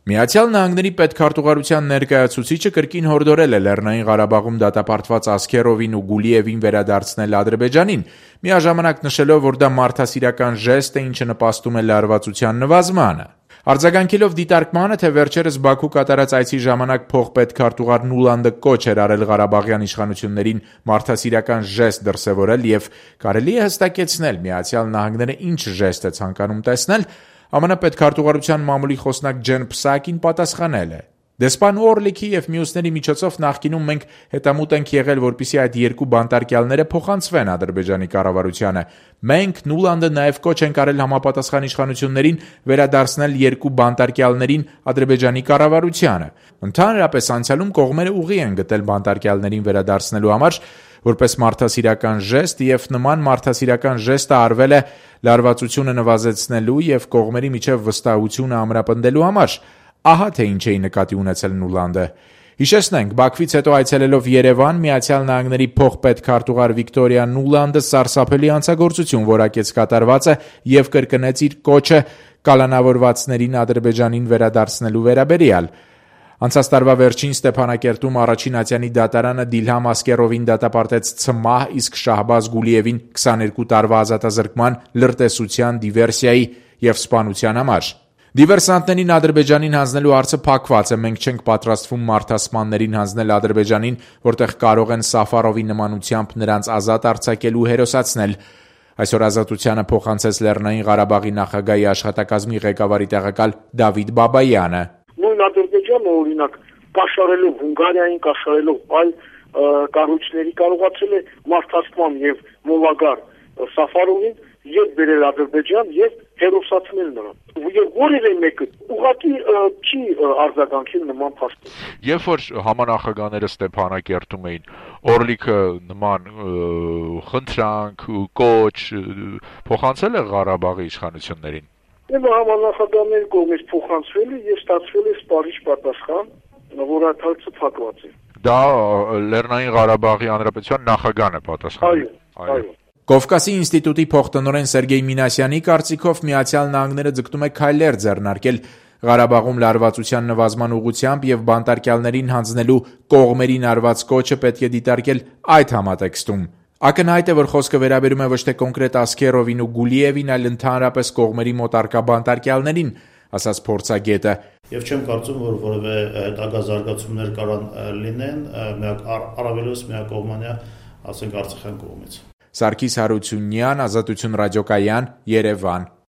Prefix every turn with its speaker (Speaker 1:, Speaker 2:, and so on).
Speaker 1: Միացյալ Նահանգների պետքարտուղարության ներկայացուցիչը կրկին հորդորել է Լեռնային Ղարաբաղում դատապարտված Ասքերովին ու Գուլիևին վերադարձնել Ադրբեջանին, միաժամանակ նշելով, որ դա մարդասիրական ժեստ է, ինչը նպաստում է լարվածության նվազմանը։ Արձագանքելով դիտարկմանը, թե վերջերս Բաքու կատարած այցի ժամանակ փոխպետքարտուղար Նուլանդը կոչ էր արել ղարաբաղյան իշխանություններին մարդասիրական ժեստ դրսևորել եւ կարելի է հստակեցնել Միացյալ Նահանգները ինչ ժեստ է ցանկանում տեսնել, ԱՄՆ պետքարտուղարության մամուլի խոսնակ Ջեն Փսակին պատասխանել է. Դեսպան Օրլիքի եւ մյուսների միջոցով նախկինում մենք հետամուտ ենք եղել, որպեսզի այդ երկու բանտարկյալները փոխանցվեն Ադրբեջանի կառավարությանը։ Մենք Նուլանդը նաեւ կոչ ենք արել համապատասխան իշխանություններին վերադարձնել երկու բանտարկյալներին Ադրբեջանի կառավարությանը։ Ընդհանրապես անցյալում կողմերը ուղի են գտել բանտարկյալներին վերադարձնելու համար, որպես մարդասիրական ժեստ, եւ նման մարդասիրական ժեստը արվել է լարվածությունը նվազեցնելու եւ կողմերի միջև վստահությունը ամրապնդելու համար։ Ահա թե ինչ էի նկատի ունեցել Նուլանդը։ Հիշեցնենք, Բաքվից հետո այցելելով Երևան, Միացյալ Նահանգների փոխպետքարտուղար Վիկտորիա Նուլանդը սարսափելի հանցագործություն որակեց կատարվածը եւ կրկնեց իր կոչը կալանավորվածներին Ադրբեջանին վերադարձնելու վերաբերյալ։ Անցած տարվա վերջին Ստեփանակերտում առաջին ատյանի դատարանը Դիլհամ Ասկերովին դատապարտեց ցմահ, իսկ Շահբազ Գուլիևին 22 տարվա ազատազրկման, լրտեսության, դիվերսիայի եւ սպանության համար։ Դիվերսանտներին Ադրբեջանին հանձնելու հարցը փակված է, մենք չենք պատրաստվում մարդասպաններին հանձնել Ադրբեջանին, որտեղ կարող են Սաֆարովի նմանությամբ նրանց ազատ արձակելու հերոսացնել։ Այսօր Ազատությանը փոխանցեց Լեռնային Ղարաբաղի նախագահի աշխատակազմի ղեկավարի տեղակալ Դավիթ Բաբայանը։
Speaker 2: Նույն Ադրբեջանը, օրինակ, կաշառելով Հունգարիային, կաշառելով այլ կառույցների կարողացել է մարդասպան եւ մոլագար Սաֆարովին եւ բերել Ադրբեջան եւ հերոսացնել նրան։ Եվ որևէ մեկը ուղղակի չի արձագանքել նման փաստին։
Speaker 3: Երբ որ համանախագահները Ստեփանակերտում էին, Օրլիքը նման խնդրանք, կոչ փոխանցել է Ղարաբաղի իշխանություններին։
Speaker 2: Եվ համանախագահների կողմից փոխանցվել է եւ ստացվել է սպառիչ պատասխան, որ այդ հարցը փակված է։
Speaker 3: Դա Լեռնային Ղարաբաղի Հանրապետության նախագահն է պատասխանել։
Speaker 2: Այո։
Speaker 1: Կովկասի ինստիտուտի փոխտնօրեն Սերգեյ Մինասյանի կարծիքով Միացյալ Նահանգները ձգտում է քայլեր ձեռնարկել Ղարաբաղում լարվածության նվազման ուղղությամբ եւ բանտարկյալներին հանձնելու կողմերին արված կոչը պետք է դիտարկել այդ համատեքստում։ Ակնհայտ է, որ խոսքը վերաբերում է ոչ թե կոնկրետ Ասքերովին ու Գուլիևին, այլ ընդհանրապես կողմերի մոտ առկա բանտարկյալներին, ասաց փորձագետը։
Speaker 4: Եվ չեմ կարծում, որ որևէ հետագա զարգացումներ կարան լինեն, առավելևս միակողմանյա, ասենք, Արցախյան կողմից։
Speaker 1: Սարգիս Հարությունյան, Ազատություն ռադիոկայան, Երևան։